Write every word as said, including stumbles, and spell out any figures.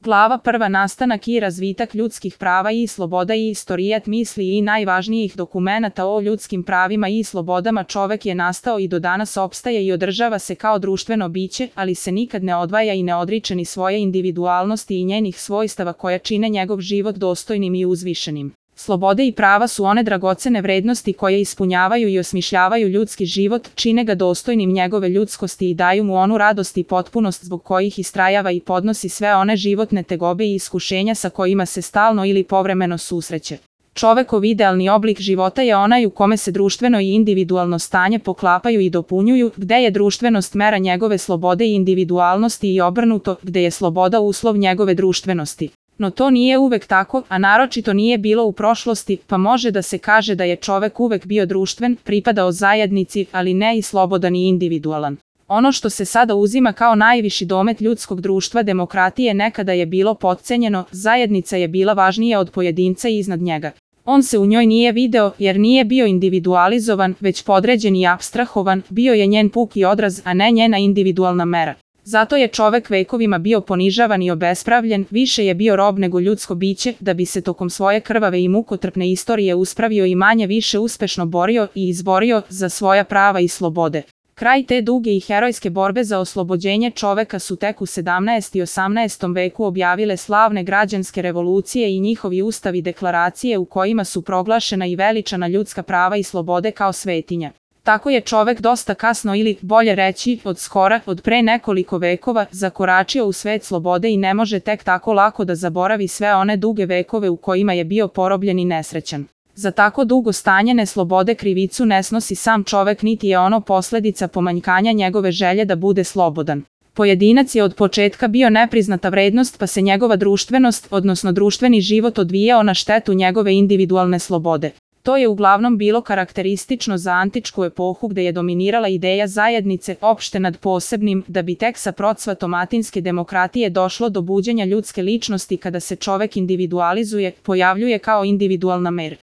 Glava prva nastanak i razvitak ljudskih prava i sloboda i istorijat misli i najvažnijih dokumenata o ljudskim pravima i slobodama. Čovek je nastao i do danas opstaje i održava se kao društveno biće, ali se nikad ne odvaja i ne odriče ni svoje individualnosti i njenih svojstava koja čine njegov život dostojnim i uzvišenim. Slobode i prava su one dragocene vrednosti koje ispunjavaju i osmišljavaju ljudski život, čine ga dostojnim njegove ljudskosti i daju mu onu radost i potpunost zbog kojih istrajava i podnosi sve one životne tegobe i iskušenja sa kojima se stalno ili povremeno susreće. Čovekov idealni oblik života je onaj u kome se društveno i individualno stanje poklapaju i dopunjuju, gde je društvenost mera njegove slobode i individualnosti i obrnuto, gde je sloboda uslov njegove društvenosti. No to nije uvek tako, a naročito nije bilo u prošlosti, pa može da se kaže da je čovek uvek bio društven, pripadao zajednici, ali ne i slobodan i individualan. Ono što se sada uzima kao najviši domet ljudskog društva demokratije nekada je bilo potcenjeno, zajednica je bila važnija od pojedinca i iznad njega. On se u njoj nije video, jer nije bio individualizovan, već podređen i apstrahovan, bio je njen puki odraz, a ne njena individualna mera. Zato je čovek vekovima bio ponižavan i obespravljen, više je bio rob nego ljudsko biće, da bi se tokom svoje krvave i mukotrpne istorije uspravio i manje više uspešno borio i izborio za svoja prava i slobode. Kraj te duge i herojske borbe za oslobođenje čoveka su tek u sedamnaestom i osamnaestom veku objavile slavne građanske revolucije i njihovi ustavi deklaracije u kojima su proglašena i veličana ljudska prava i slobode kao svetinja. Tako je čovek dosta kasno ili, bolje reći, od skora, od pre nekoliko vekova, zakoračio u svet slobode i ne može tek tako lako da zaboravi sve one duge vekove u kojima je bio porobljen i nesrećan. Za tako dugo stanje neslobode krivicu ne snosi sam čovek niti je ono posledica pomanjkanja njegove želje da bude slobodan. Pojedinac je od početka bio nepriznata vrednost pa se njegova društvenost, odnosno društveni život odvijao na štetu njegove individualne slobode. To je uglavnom bilo karakteristično za antičku epohu gde je dominirala ideja zajednice opšte nad posebnim, da bi tek sa procvatom atinske demokratije došlo do buđenja ljudske ličnosti kada se čovek individualizuje, pojavljuje kao individualna mer.